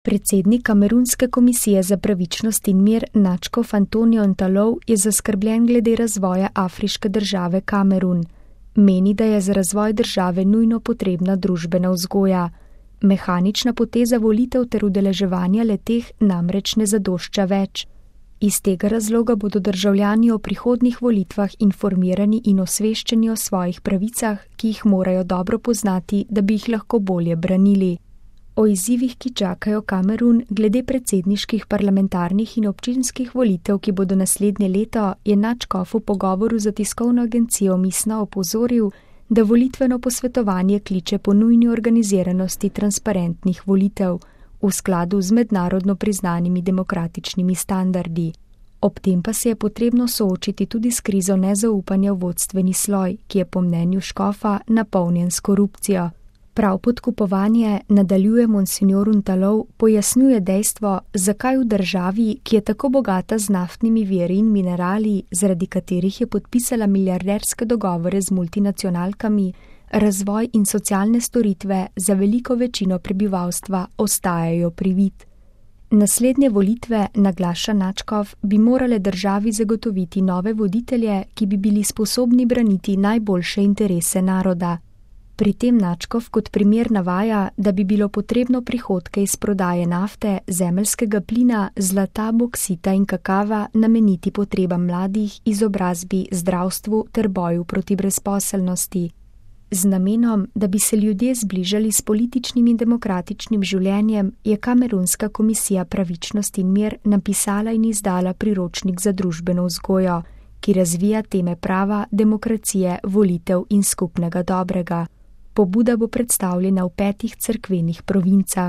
Predsednik Kamerunske komisije za pravičnost in mir Nadžkof Antonio Ntalov je zaskrbljen glede razvoja afriške države Kamerun. Meni, da je za razvoj države nujno potrebna družbena vzgoja. Mehanična poteza volitev ter udeleževanja le-teh namreč ne zadošča več. Iz tega razloga bodo državljani o prihodnjih volitvah informirani in osveščeni o svojih pravicah, ki jih morajo dobro poznati, da bi jih lahko bolje branili. O izzivih, ki čakajo Kamerun glede predsedniških, parlamentarnih in občinskih volitev, ki bodo naslednje leto, je Nadžkof v pogovoru za tiskovno agencijo Misna opozoril, da volitveno posvetovanje kliče po nujni organiziranosti transparentnih volitev v skladu z mednarodno priznanimi demokratičnimi standardi. Ob tem pa se je potrebno soočiti tudi s krizo nezaupanja v vodstveni sloj, ki je po mnenju škofa napolnjen s korupcijo. Prav podkupovanje, nadaljuje monsignor Ntalov, pojasnjuje dejstvo, zakaj v državi, ki je tako bogata z naftnimi viri in minerali, zaradi katerih je podpisala milijarderske dogovore z multinacionalkami, razvoj in socialne storitve za veliko večino prebivalstva ostajajo privid. Naslednje volitve, naglaša Nadžkof, bi morale državi zagotoviti nove voditelje, ki bi bili sposobni braniti najboljše interese naroda. Pri tem Nadžkof kot primer navaja, da bi bilo potrebno prihodke iz prodaje nafte, zemeljskega plina, zlata, boksita in kakava nameniti potrebam mladih, izobrazbi, zdravstvu ter boju proti brezposelnosti. Z namenom, da bi se ljudje zbližali s političnim in demokratičnim življenjem, je Kamerunska komisija pravičnost in mir napisala in izdala priročnik za družbeno vzgojo, ki razvija teme prava, demokracije, volitev in skupnega dobrega. Pobuda bo predstavljena v 5 cerkvenih provincah.